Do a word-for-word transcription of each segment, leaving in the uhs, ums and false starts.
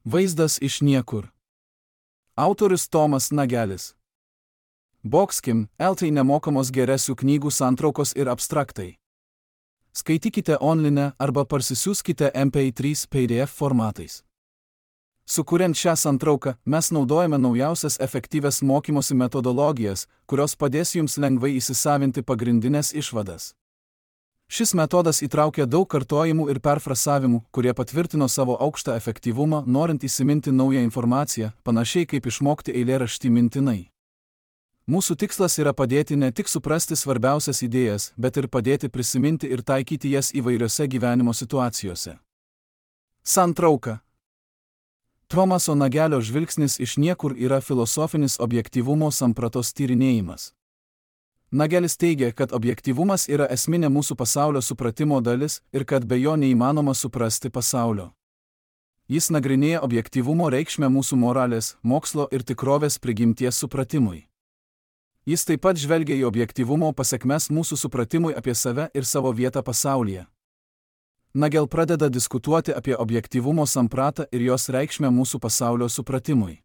Vaizdas iš niekur. Autorius Tomas Nagelis. Boxkim, eltai nemokamos geresių knygų santraukos ir abstraktai. Skaitykite online arba parsisiųskite M P trys P D F formatais. Sukuriant šią santrauką, mes naudojame naujausias efektyvias mokymosi metodologijas, kurios padės jums lengvai įsisavinti pagrindinės išvadas. Šis metodas įtraukia daug kartojimų ir perfrasavimų, kurie patvirtino savo aukštą efektyvumą, norint įsiminti naują informaciją, panašiai kaip išmokti eilėraštį mintinai. Mūsų tikslas yra padėti ne tik suprasti svarbiausias idėjas, bet ir padėti prisiminti ir taikyti jas įvairiose gyvenimo situacijose. Santrauka. Tomaso Nagelio žvilgsnis iš niekur yra filosofinis objektyvumo sampratos tyrinėjimas. Nagelis teigia, kad objektyvumas yra esminė mūsų pasaulio supratimo dalis ir kad be jo neįmanoma suprasti pasaulio. Jis nagrinėja objektyvumo reikšmę mūsų moralės, mokslo ir tikrovės prigimties supratimui. Jis taip pat žvelgia į objektyvumo pasekmes mūsų supratimui apie save ir savo vietą pasaulyje. Nagel pradeda diskutuoti apie objektyvumo sampratą ir jos reikšmę mūsų pasaulio supratimui.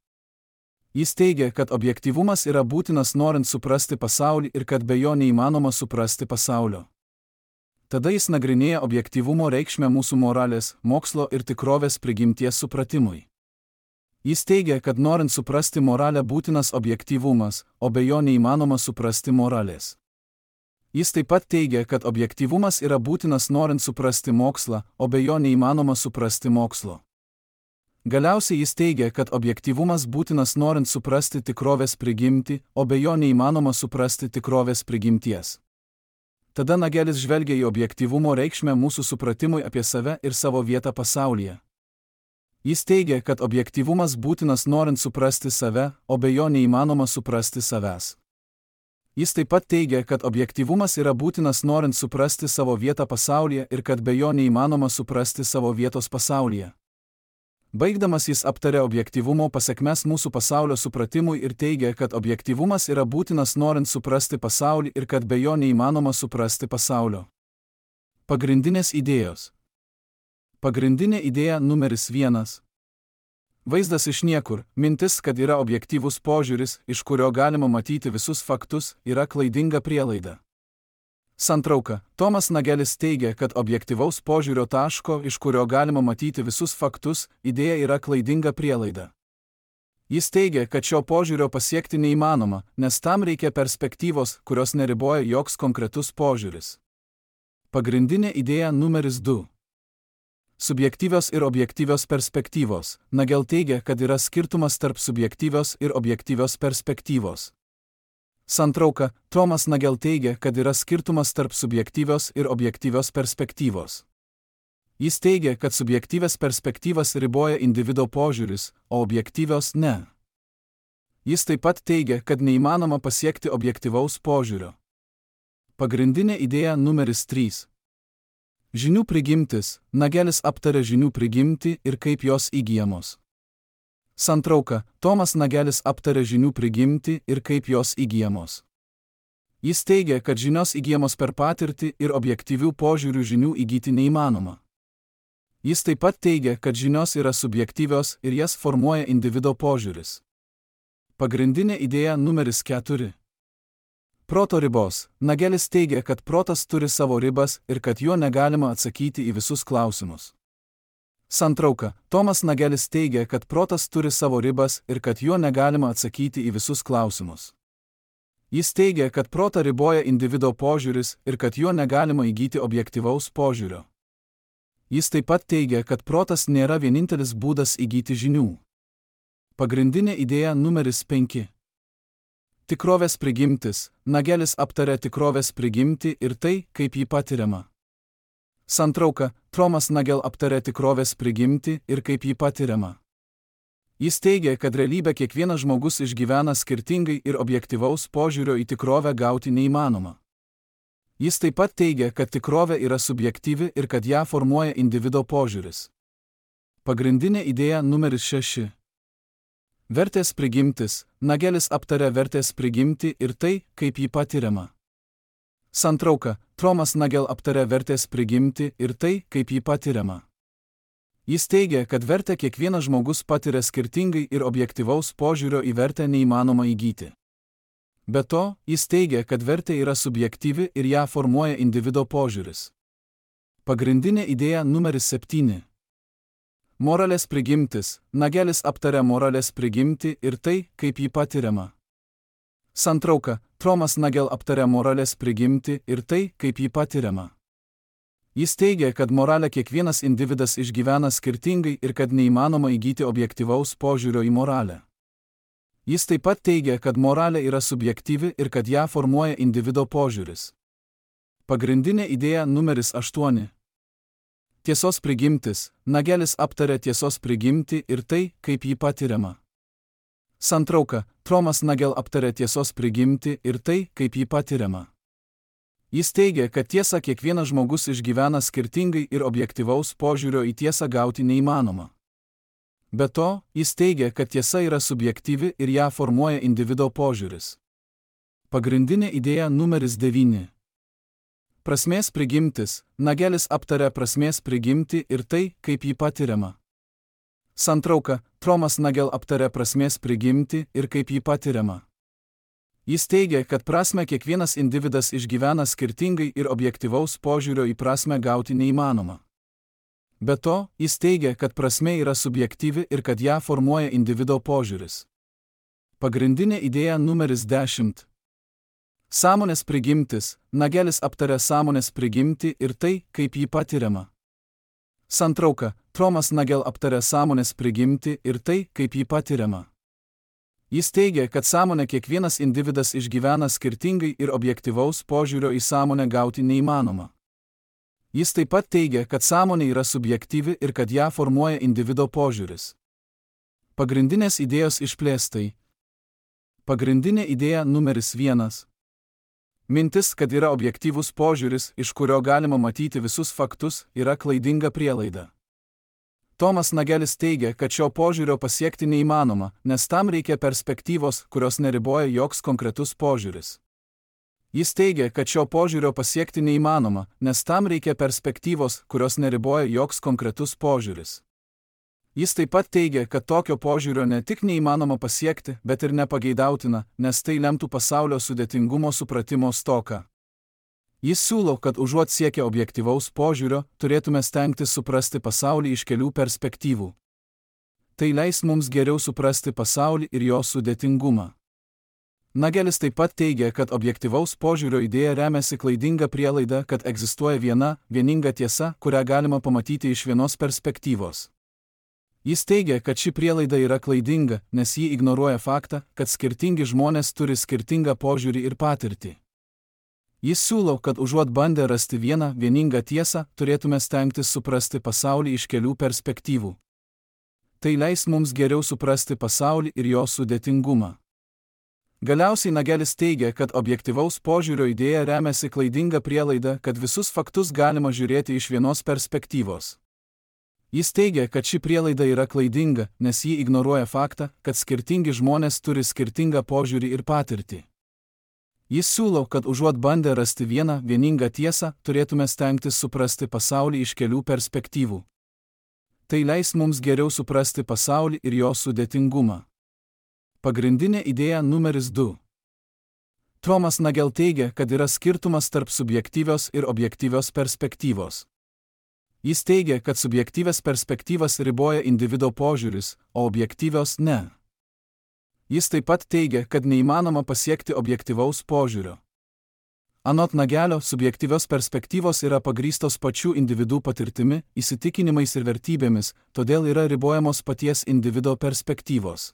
Jis teigia, kad objektyvumas yra būtinas norint suprasti pasaulį ir kad be jo neįmanoma suprasti pasaulio. Tada jis nagrinėja objektyvumo reikšmę mūsų moralės, mokslo ir tikrovės prigimties supratimui. Jis teigia, kad norint suprasti moralę būtinas objektyvumas, o be jo neįmanoma suprasti moralės. Jis taip pat teigia, kad objektyvumas yra būtinas norint suprasti mokslą, o be jo neįmanoma suprasti mokslo. Galiausiai jis teigia, kad objektyvumas būtinas norint suprasti tikrovės prigimtį, o be jo neįmanoma suprasti tikrovės prigimties. Tada Nagelis žvelgia į objektyvumo reikšmę mūsų supratimui apie save ir savo vietą pasaulyje. Jis teigia, kad objektyvumas būtinas norint suprasti save, o be jo neįmanoma suprasti savęs. Jis taip pat teigia, kad objektyvumas yra būtinas norint suprasti savo vietą pasaulyje ir kad be jo neįmanoma suprasti savo vietos pasaulyje. Baigdamas jis aptarė objektyvumo pasekmes mūsų pasaulio supratimui ir teigia, kad objektyvumas yra būtinas norint suprasti pasaulį ir kad be jo neįmanoma suprasti pasaulio. Pagrindinės idėjos. Pagrindinė idėja numeris vienas. Vaizdas iš niekur, mintis, kad yra objektyvus požiūris, iš kurio galima matyti visus faktus, yra klaidinga prielaida. Santrauka. Tomas Nagelis teigia, kad objektyvaus požiūrio taško, iš kurio galima matyti visus faktus, idėja yra klaidinga prielaida. Jis teigia, kad šio požiūrio pasiekti neįmanoma, nes tam reikia perspektyvos, kurios neriboja joks konkretus požiūris. Pagrindinė idėja numeris du. Subjektyvios ir objektyvios perspektyvos. Nagel teigia, kad yra skirtumas tarp subjektyvios ir objektyvios perspektyvos. Santrauka. Tomas Nagel teigia, kad yra skirtumas tarp subjektyvios ir objektyvios perspektyvos. Jis teigia, kad subjektyvias perspektyvas riboja individo požiūris, o objektyvios ne. Jis taip pat teigia, kad neįmanoma pasiekti objektyvaus požiūrio. Pagrindinė idėja numeris trys. Žinių prigimtis. Nagelis aptarė žinių prigimtį ir kaip jos įgyjamos. Santrauka. Tomas Nagelis aptarė žinių prigimtį ir kaip jos įgyjamos. Jis teigia, kad žinios įgyjamos per patirtį ir objektyvių požiūrių žinių įgyti neįmanoma. Jis taip pat teigia, kad žinios yra subjektyvios ir jas formuoja individo požiūris. Pagrindinė idėja numeris keturi. Proto ribos. Nagelis teigia, kad protas turi savo ribas ir kad juo negalima atsakyti į visus klausimus. Santrauka. Tomas Nagelis teigia, kad protas turi savo ribas ir kad juo negalima atsakyti į visus klausimus. Jis teigia, kad protą riboja individo požiūris ir kad juo negalima įgyti objektyvaus požiūrio. Jis taip pat teigia, kad protas nėra vienintelis būdas įgyti žinių. Pagrindinė idėja numeris penki. Tikrovės prigimtis. Nagelis aptarė tikrovės prigimtį ir tai, kaip ji patiriama. Santrauka. Tomas Nagel aptarė tikrovės prigimtį ir kaip ji patiriama. Jis teigia, kad realybę kiekvienas žmogus išgyvena skirtingai ir objektyvaus požiūrio į tikrovę gauti neįmanoma. Jis taip pat teigia, kad tikrovė yra subjektyvi ir kad ją formuoja individo požiūris. Pagrindinė idėja numeris šeši. Vertės prigimtis. Nagelis aptarė vertės prigimtį ir tai, kaip ji patiriama. Santrauka. Tomas Nagel aptarė vertės prigimtį ir tai, kaip ji patiriama. Jis teigia, kad vertę kiekvienas žmogus patiria skirtingai ir objektyvaus požiūrio į vertę neįmanoma įgyti. Be to, jis teigia, kad vertė yra subjektyvi ir ją formuoja individo požiūris. Pagrindinė idėja numeris septyni. Moralės prigimtis. Nagelis aptaria moralės prigimtį ir tai, kaip ji patiriama. Santrauka. Tomas Nagel aptaria moralės prigimtį ir tai, kaip ji patiriama. Jis teigia, kad moralę kiekvienas individas išgyvena skirtingai ir kad neįmanoma įgyti objektyvaus požiūrio į moralę. Jis taip pat teigia, kad moralė yra subjektyvi ir kad ją formuoja individo požiūris. Pagrindinė idėja numeris aštuoni. Tiesos prigimtis. Nagelis aptaria tiesos prigimtį ir tai, kaip ji patiriama. Santrauka. Tomas Nagel aptaria tiesos prigimtį ir tai, kaip ji patiriama. Jis teigia, kad tiesą kiekvienas žmogus išgyvena skirtingai ir objektyvaus požiūrio į tiesą gauti neįmanoma. Be to, jis teigia, kad tiesa yra subjektyvi ir ją formuoja individo požiūris. Pagrindinė idėja numeris devyni. Prasmės prigimtis. Nagelis aptaria prasmės prigimtį ir tai, kaip ji patiriama. Santrauka. Tomas Nagel aptaria prasmės prigimtį ir kaip ji patiriama. Jis teigia, kad prasmę kiekvienas individas išgyvena skirtingai ir objektyvaus požiūrio į prasmę gauti neįmanoma. Be to, jis teigia, kad prasmė yra subjektyvi ir kad ją formuoja individo požiūris. Pagrindinė idėja numeris dešimt. Sąmonės prigimtis. Nagelis aptaria sąmonės prigimtį ir tai, kaip ji patiriama. Santrauka. Tomas Nagel aptaria sąmonės prigimtį ir tai, kaip ji patiriama. Jis teigia, kad sąmonę kiekvienas individas išgyvena skirtingai ir objektyvaus požiūrio į sąmonę gauti neįmanoma. Jis taip pat teigia, kad sąmonė yra subjektyvi ir kad ją formuoja individo požiūris. Pagrindinės idėjos išplėstai. Pagrindinė idėja numeris vienas. Mintis, kad yra objektyvus požiūris, iš kurio galima matyti visus faktus, yra klaidinga prielaida. Tomas Nagelis teigia, kad šio požiūrio pasiekti neįmanoma, nes tam reikia perspektyvos, kurios neriboja joks konkretus požiūris. Jis teigia, kad šio požiūrio pasiekti neįmanoma, nes tam reikia perspektyvos, kurios neriboja joks konkretus požiūris. Jis taip pat teigia, kad tokio požiūrio ne tik neįmanoma pasiekti, bet ir nepageidautina, nes tai lemtų pasaulio sudėtingumo supratimo stoką. Jis siūlo, kad užuot siekę objektyvaus požiūrio, turėtume stengtis suprasti pasaulį iš kelių perspektyvų. Tai leis mums geriau suprasti pasaulį ir jo sudėtingumą. Nagelis taip pat teigia, kad objektyvaus požiūrio idėja remiasi klaidinga prielaida, kad egzistuoja viena, vieninga tiesa, kurią galima pamatyti iš vienos perspektyvos. Jis teigia, kad ši prielaida yra klaidinga, nes ji ignoruoja faktą, kad skirtingi žmonės turi skirtingą požiūrį ir patirtį. Jis siūlo, kad užuot bandę rasti vieną, vieningą tiesą, turėtume stengtis suprasti pasaulį iš kelių perspektyvų. Tai leis mums geriau suprasti pasaulį ir jo sudėtingumą. Galiausiai Nagelis teigia, kad objektyvaus požiūrio idėja remiasi klaidinga prielaida, kad visus faktus galima žiūrėti iš vienos perspektyvos. Jis teigia, kad ši prielaida yra klaidinga, nes ji ignoruoja faktą, kad skirtingi žmonės turi skirtingą požiūrį ir patirtį. Jis siūlo, kad užuot bandę rasti vieną, vieningą tiesą, turėtume stengtis suprasti pasaulį iš kelių perspektyvų. Tai leis mums geriau suprasti pasaulį ir jo sudėtingumą. Pagrindinė idėja numeris du. Tomas Nagel teigia, kad yra skirtumas tarp subjektyvios ir objektyvios perspektyvos. Jis teigia, kad subjektyvias perspektyvas riboja individo požiūris, o objektyvios ne. Jis taip pat teigia, kad neįmanoma pasiekti objektyvaus požiūrio. Anot Nagelio, subjektyvios perspektyvos yra pagrįstos pačių individų patirtimi, įsitikinimais ir vertybėmis, todėl yra ribojamos paties individo perspektyvos.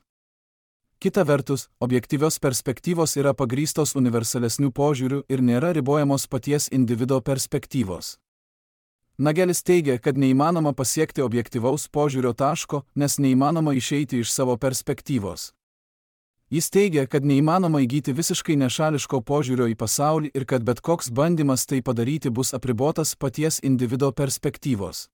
Kita vertus, objektyvios perspektyvos yra pagrįstos universalesnių požiūrių ir nėra ribojamos paties individo perspektyvos. Nagelis teigia, kad neįmanoma pasiekti objektyvaus požiūrio taško, nes neįmanoma išeiti iš savo perspektyvos. Jis teigia, kad neįmanoma įgyti visiškai nešališko požiūrio į pasaulį ir kad bet koks bandymas tai padaryti bus apribotas paties individo perspektyvos.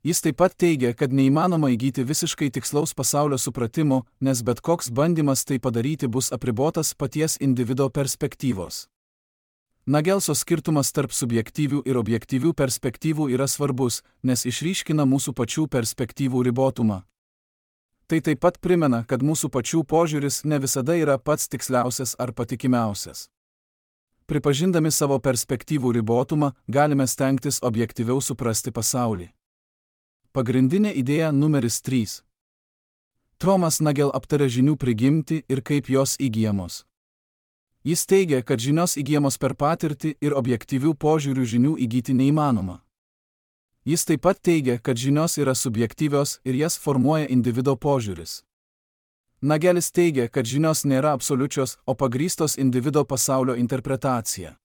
Jis taip pat teigia, kad neįmanoma įgyti visiškai tikslaus pasaulio supratimo, nes bet koks bandymas tai padaryti bus apribotas paties individo perspektyvos. Nagelso skirtumas tarp subjektyvių ir objektyvių perspektyvų yra svarbus, nes išryškina mūsų pačių perspektyvų ribotumą. Tai taip pat primena, kad mūsų pačių požiūris ne visada yra pats tiksliausias ar patikimiausias. Pripažindami savo perspektyvų ribotumą, galime stengtis objektyviau suprasti pasaulį. Pagrindinė idėja numeris trys. Tomas Nagel aptarė žinių prigimtį ir kaip jos įgyjamos. Jis teigia, kad žinios įgyjamos per patirtį ir objektyvių požiūrių žinių įgyti neįmanoma. Jis taip pat teigia, kad žinios yra subjektyvios ir jas formuoja individo požiūris. Nagelis teigia, kad žinios nėra absoliučios, o pagrįstos individo pasaulio interpretacija.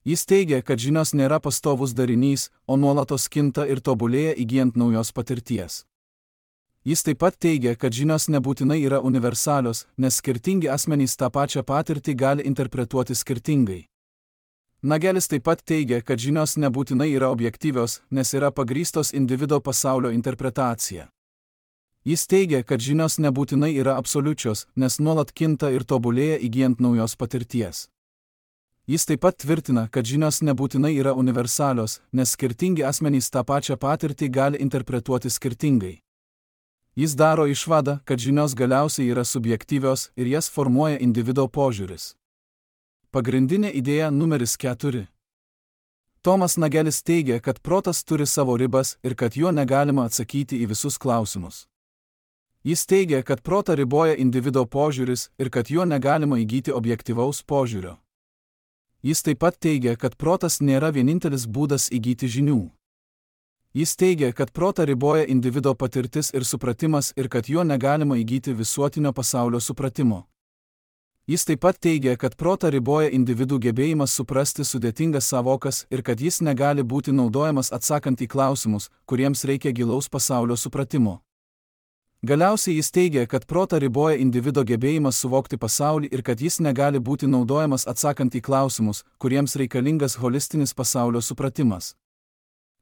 Jis teigia, kad žinios nėra pastovus darinys, o nuolatos kinta ir tobulėja įgyjant naujos patirties. Jis taip pat teigia, kad žinios nebūtinai yra universalios, nes skirtingi asmenys tą pačią patirtį gali interpretuoti skirtingai. Nagelis taip pat teigia, kad žinios nebūtinai yra objektyvios, nes yra pagrįstos individo pasaulio interpretacija. Jis teigia, kad žinios nebūtinai yra absoliučios, nes nuolat kinta ir tobulėja įgyjant naujos patirties. Jis taip pat tvirtina, kad žinios nebūtinai yra universalios, nes skirtingi asmenys tą pačią patirtį gali interpretuoti skirtingai. Jis daro išvadą, kad žinios galiausiai yra subjektyvios ir jas formuoja individo požiūris. Pagrindinė idėja numeris keturi. Tomas Nagelis teigia, kad protas turi savo ribas ir kad juo negalima atsakyti į visus klausimus. Jis teigia, kad protą riboja individo požiūris ir kad juo negalima įgyti objektyvaus požiūrio. Jis taip pat teigia, kad protas nėra vienintelis būdas įgyti žinių. Jis teigia, kad protą riboja individo patirtis ir supratimas ir kad juo negalima įgyti visuotinio pasaulio supratimo. Jis taip pat teigia, kad protą riboja individų gebėjimas suprasti sudėtingas sąvokas ir kad jis negali būti naudojamas atsakant į klausimus, kuriems reikia gilaus pasaulio supratimo. Galiausiai jis teigia, kad protą riboja individo gebėjimas suvokti pasaulį ir kad jis negali būti naudojamas atsakant į klausimus, kuriems reikalingas holistinis pasaulio supratimas.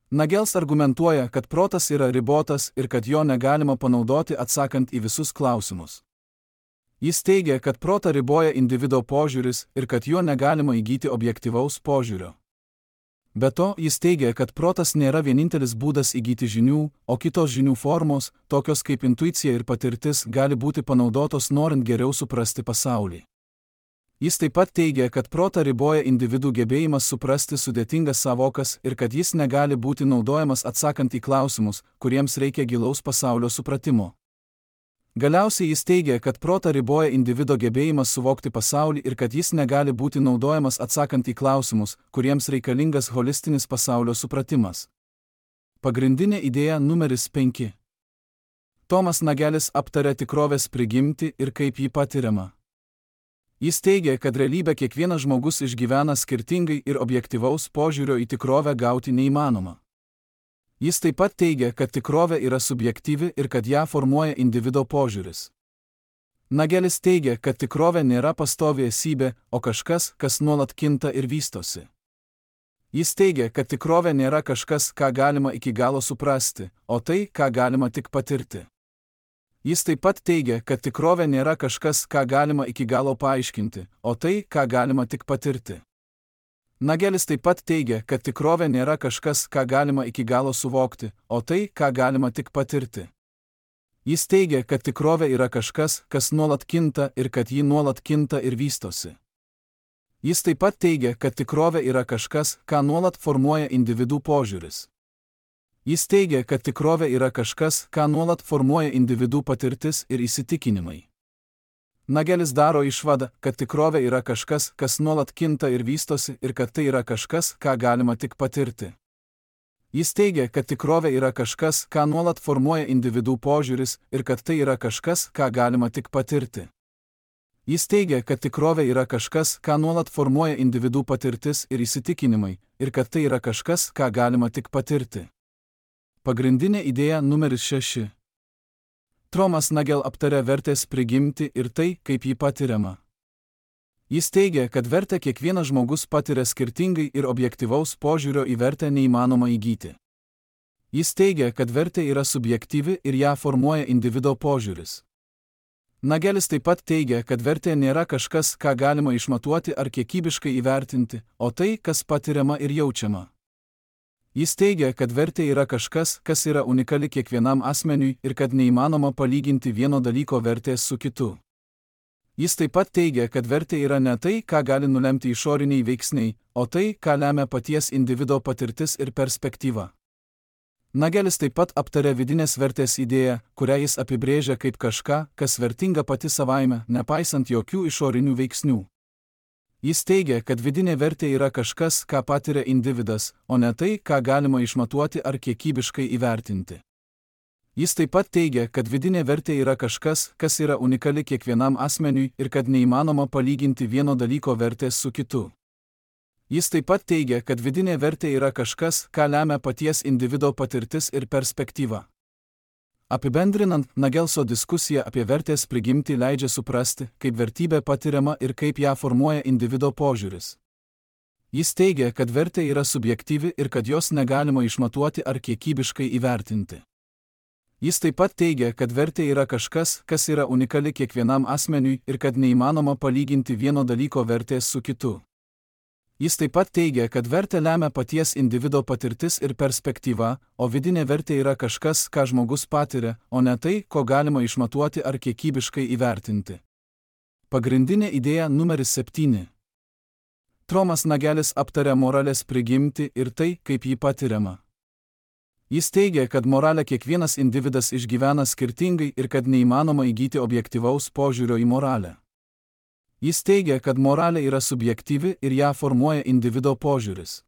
Nagels argumentuoja, kad protas yra ribotas ir kad jo negalima panaudoti atsakant į visus klausimus. Jis teigia, kad protą riboja individo požiūris ir kad jo negalima įgyti objektyvaus požiūrio. Be to, jis teigia, kad protas nėra vienintelis būdas įgyti žinių, o kitos žinių formos, tokios kaip intuicija ir patirtis, gali būti panaudotos norint geriau suprasti pasaulį. Jis taip pat teigia, kad protą riboja individų gebėjimas suprasti sudėtingas sąvokas ir kad jis negali būti naudojamas atsakant į klausimus, kuriems reikia gilaus pasaulio supratimo. Galiausiai jis teigia, kad protą riboja individo gebėjimas suvokti pasaulį ir kad jis negali būti naudojamas atsakant į klausimus, kuriems reikalingas holistinis pasaulio supratimas. Pagrindinė idėja numeris penki. Tomas Nagelis aptarė tikrovės prigimtį ir kaip jį patiriama. Jis teigia, kad realybę kiekvienas žmogus išgyvena skirtingai ir objektyvaus požiūrio į tikrovę gauti neįmanoma. Jis taip pat teigia, kad tikrovė yra subjektyvi ir kad ją formuoja individo požiūris. Nagelis teigia, kad tikrovė nėra pastovi esybė, o kažkas, kas nuolat kinta ir vystosi. Jis teigia, kad tikrovė nėra kažkas, ką galima iki galo suprasti, o tai, ką galima tik patirti. Jis taip pat teigia, kad tikrovė nėra kažkas, ką galima iki galo paaiškinti, o tai, ką galima tik patirti. Nagelis taip pat teigia, kad tikrovė nėra kažkas, ką galima iki galo suvokti, o tai, ką galima tik patirti. Jis teigia, kad tikrovė yra kažkas, kas nuolat kinta ir kad ji nuolat kinta ir vystosi. Jis taip pat teigia, kad tikrovė yra kažkas, ką nuolat formuoja individų požiūris. Jis teigia, kad tikrovė yra kažkas, ką nuolat formuoja individų patirtis ir įsitikinimai. Nagelis daro išvadą, kad tikrovė yra kažkas, kas nuolat kinta ir vystosi ir kad tai yra kažkas, ką galima tik patirti. Jis teigia, kad tikrovė yra kažkas, ką nuolat formuoja individų požiūris ir kad tai yra kažkas, ką galima tik patirti. Jis teigia, kad tikrovė yra kažkas, ką nuolat formuoja individų patirtis ir įsitikinimai ir kad tai yra kažkas, ką galima tik patirti. Pagrindinė idėja numeris šeši. Tomas Nagel aptarė vertės prigimtį ir tai, kaip jį patiriama. Jis teigia, kad vertę kiekvienas žmogus patiria skirtingai ir objektyvaus požiūrio į vertę neįmanoma įgyti. Jis teigia, kad vertė yra subjektyvi ir ją formuoja individo požiūris. Nagelis taip pat teigia, kad vertė nėra kažkas, ką galima išmatuoti ar kiekybiškai įvertinti, o tai, kas patiriama ir jaučiama. Jis teigia, kad vertė yra kažkas, kas yra unikali kiekvienam asmeniui ir kad neįmanoma palyginti vieno dalyko vertės su kitu. Jis taip pat teigia, kad vertė yra ne tai, ką gali nulemti išoriniai veiksniai, o tai, ką lemia paties individo patirtis ir perspektyva. Nagelis taip pat aptarė vidinės vertės idėją, kurią jis apibrėžia kaip kažką, kas vertinga pati savaime, nepaisant jokių išorinių veiksnių. Jis teigia, kad vidinė vertė yra kažkas, ką patiria individas, o ne tai, ką galima išmatuoti ar kiekybiškai įvertinti. Jis taip pat teigia, kad vidinė vertė yra kažkas, kas yra unikali kiekvienam asmeniui ir kad neįmanoma palyginti vieno dalyko vertės su kitu. Jis taip pat teigia, kad vidinė vertė yra kažkas, ką lemia paties individo patirtis ir perspektyva. Apibendrinant, Nagelso diskusija apie vertės prigimtį leidžia suprasti, kaip vertybė patiriama ir kaip ją formuoja individo požiūris. Jis teigia, kad vertė yra subjektyvi ir kad jos negalima išmatuoti ar kiekybiškai įvertinti. Jis taip pat teigia, kad vertė yra kažkas, kas yra unikali kiekvienam asmeniui ir kad neįmanoma palyginti vieno dalyko vertės su kitu. Jis taip pat teigia, kad vertę lemia paties individo patirtis ir perspektyva, o vidinė vertė yra kažkas, ką žmogus patiria, o ne tai, ko galima išmatuoti ar kiekybiškai įvertinti. Pagrindinė idėja numeris septyni. Tomas Nagelis aptarė moralės prigimtį ir tai, kaip ji patiriama. Jis teigia, kad moralę kiekvienas individas išgyvena skirtingai ir kad neįmanoma įgyti objektyvaus požiūrio į moralę. Jis teigia, kad moralė yra subjektyvi ir ją formuoja individo požiūris.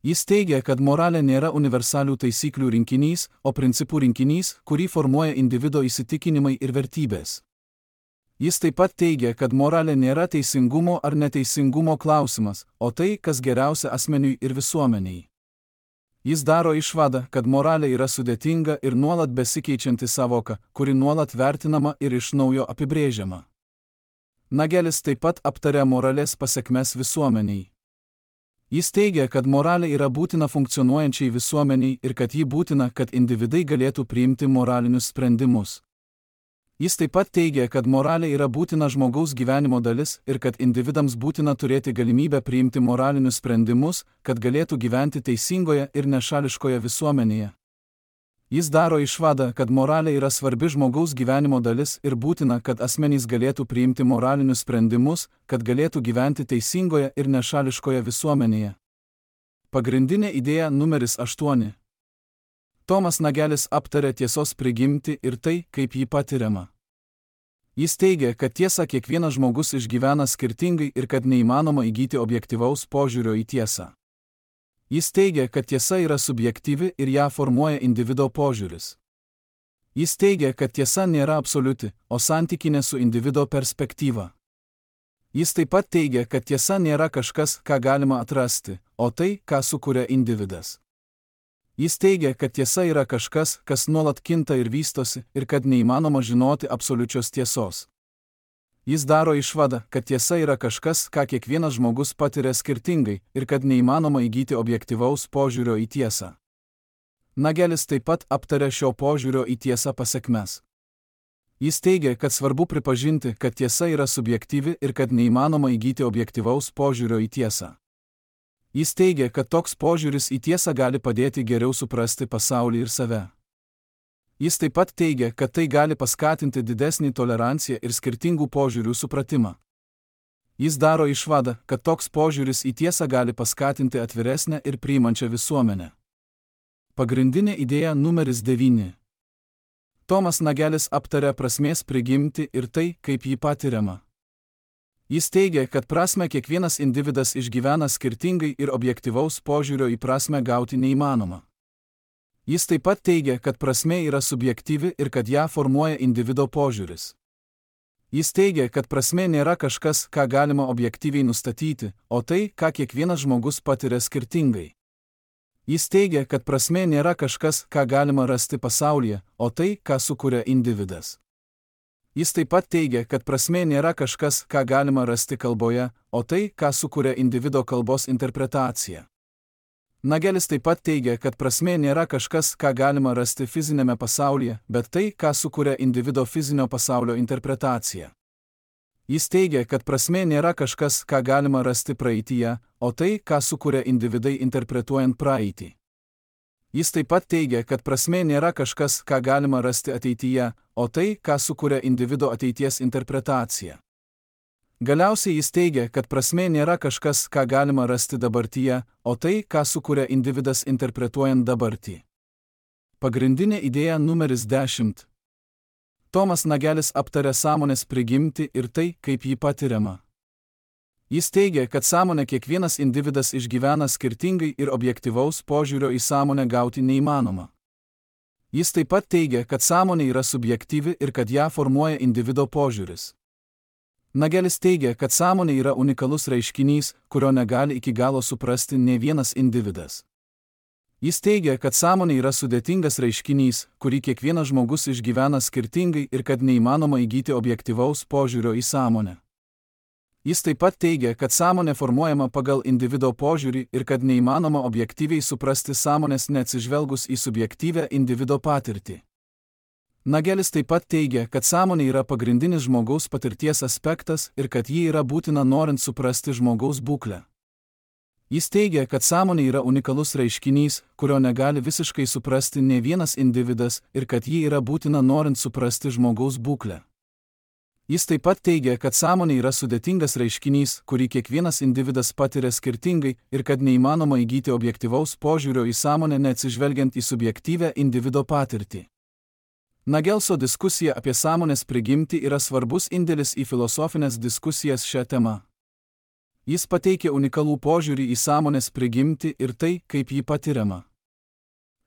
Jis teigia, kad moralė nėra universalių taisyklių rinkinys, o principų rinkinys, kurį formuoja individo įsitikinimai ir vertybės. Jis taip pat teigia, kad moralė nėra teisingumo ar neteisingumo klausimas, o tai, kas geriausia asmeniui ir visuomeniai. Jis daro išvadą, kad moralė yra sudėtinga ir nuolat besikeičianti savoka, kuri nuolat vertinama ir iš naujo apibrėžiama. Nagelis taip pat aptarė moralės pasekmes visuomeniai. Jis teigia, kad moralė yra būtina funkcionuojančiai visuomeniai ir kad ji būtina, kad individai galėtų priimti moralinius sprendimus. Jis taip pat teigia, kad moralė yra būtina žmogaus gyvenimo dalis ir kad individams būtina turėti galimybę priimti moralinius sprendimus, kad galėtų gyventi teisingoje ir nešališkoje visuomenėje. Jis daro išvadą, kad moralė yra svarbi žmogaus gyvenimo dalis ir būtina, kad asmenys galėtų priimti moralinius sprendimus, kad galėtų gyventi teisingoje ir nešališkoje visuomenėje. Pagrindinė idėja numeris aštuoni. Tomas Nagelis aptarė tiesos prigimtį ir tai, kaip ji patiriama. Jis teigia, kad tiesą kiekvienas žmogus išgyvena skirtingai ir kad neįmanoma įgyti objektyvaus požiūrio į tiesą. Jis teigia, kad tiesa yra subjektyvi ir ją formuoja individo požiūris. Jis teigia, kad tiesa nėra absoliuti, o santykinė su individo perspektyva. Jis taip pat teigia, kad tiesa nėra kažkas, ką galima atrasti, o tai, ką sukuria individas. Jis teigia, kad tiesa yra kažkas, kas nuolat kinta ir vystosi, ir kad neįmanoma žinoti absoliučios tiesos. Jis daro išvadą, kad tiesa yra kažkas, ką kiekvienas žmogus patiria skirtingai ir kad neįmanoma įgyti objektyvaus požiūrio į tiesą. Nagelis taip pat aptarė šio požiūrio į tiesą pasekmes. Jis teigia, kad svarbu pripažinti, kad tiesa yra subjektyvi ir kad neįmanoma įgyti objektyvaus požiūrio į tiesą. Jis teigia, kad toks požiūris į tiesą gali padėti geriau suprasti pasaulį ir save. Jis taip pat teigia, kad tai gali paskatinti didesnį toleranciją ir skirtingų požiūrių supratimą. Jis daro išvadą, kad toks požiūris į tiesą gali paskatinti atviresnę ir priimančią visuomenę. Pagrindinė idėja numeris devyni. Tomas Nagelis aptarė prasmės prigimtį ir tai, kaip ji patiriama. Jis teigia, kad prasmę kiekvienas individas išgyvena skirtingai ir objektyvaus požiūrio į prasmę gauti neįmanoma. Jis taip pat teigia, kad prasmė yra subjektyvi ir kad ją formuoja individo požiūris. Jis teigia, kad prasmė nėra kažkas, ką galima objektyviai nustatyti, o tai, ką kiekvienas žmogus patiria skirtingai. Jis teigia, kad prasmė nėra kažkas, ką galima rasti pasaulyje, o tai, ką sukuria individas. Jis taip pat teigia, kad prasmė nėra kažkas, ką galima rasti kalboje, o tai, ką sukuria individo kalbos interpretacija. Nagelis taip pat teigia, kad prasmė nėra kažkas, ką galima rasti fizinėme pasaulyje, bet tai, ką sukuria individo fizinio pasaulio interpretacija. Jis teigia, kad prasmė nėra kažkas, ką galima rasti praeityje, o tai, ką sukuria individai interpretuojant praeitį. Jis taip pat teigia, kad prasmė nėra kažkas, ką galima rasti ateityje, o tai, ką sukuria individo ateities interpretacija. Galiausiai jis teigia, kad prasmė nėra kažkas, ką galima rasti dabartyje, o tai, ką sukuria individas interpretuojant dabartį. Pagrindinė idėja numeris dešimt. Tomas Nagelis aptarė sąmonės prigimtį ir tai, kaip jį patiriama. Jis teigia, kad sąmonę kiekvienas individas išgyvena skirtingai ir objektyvaus požiūrio į sąmonę gauti neįmanoma. Jis taip pat teigia, kad sąmonė yra subjektyvi ir kad ją formuoja individo požiūris. Nagelis teigia, kad sąmonė yra unikalus reiškinys, kurio negali iki galo suprasti nė vienas individas. Jis teigia, kad sąmonė yra sudėtingas reiškinys, kurį kiekvienas žmogus išgyvena skirtingai ir kad neįmanoma įgyti objektyvaus požiūrio į sąmonę. Jis taip pat teigia, kad sąmonė formuojama pagal individo požiūrį ir kad neįmanoma objektyviai suprasti sąmonės neatsižvelgus į subjektyvią individo patirtį. Nagelis taip pat teigia, kad sąmonė yra pagrindinis žmogaus patirties aspektas ir kad ji yra būtina norint suprasti žmogaus būklę. Jis teigia, kad sąmonė yra unikalus reiškinys, kurio negali visiškai suprasti nė vienas individas ir kad ji yra būtina norint suprasti žmogaus būklę. Jis taip pat teigia, kad sąmonė yra sudėtingas reiškinys, kurį kiekvienas individas patiria skirtingai ir kad neįmanoma įgyti objektyvaus požiūrio į sąmonę neatsižvelgiant į subjektyvią individo patirtį. Nagelso diskusija apie sąmonės prigimtį yra svarbus indėlis į filosofinės diskusijas šią temą. Jis pateikia unikalų požiūrį į sąmonės prigimtį ir tai, kaip ji patiriama.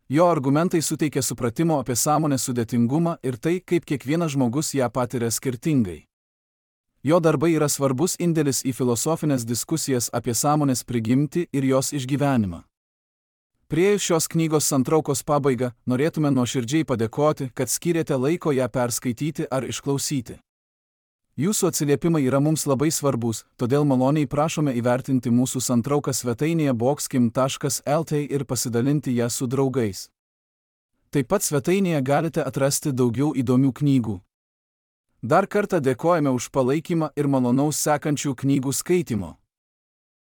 Jo argumentai suteikia supratimo apie sąmonės sudėtingumą ir tai, kaip kiekvienas žmogus ją patiria skirtingai. Jo darbai yra svarbus indėlis į filosofinės diskusijas apie sąmonės prigimtį ir jos išgyvenimą. Priėjus šios knygos santraukos pabaigą, norėtume nuoširdžiai padėkoti, kad skyrėte laiko ją perskaityti ar išklausyti. Jūsų atsiliepimai yra mums labai svarbus, todėl maloniai prašome įvertinti mūsų santrauką svetainėje boxkim taškas el t ir pasidalinti ją su draugais. Taip pat svetainėje galite atrasti daugiau įdomių knygų. Dar kartą dėkojame už palaikymą ir malonaus sekančių knygų skaitimo.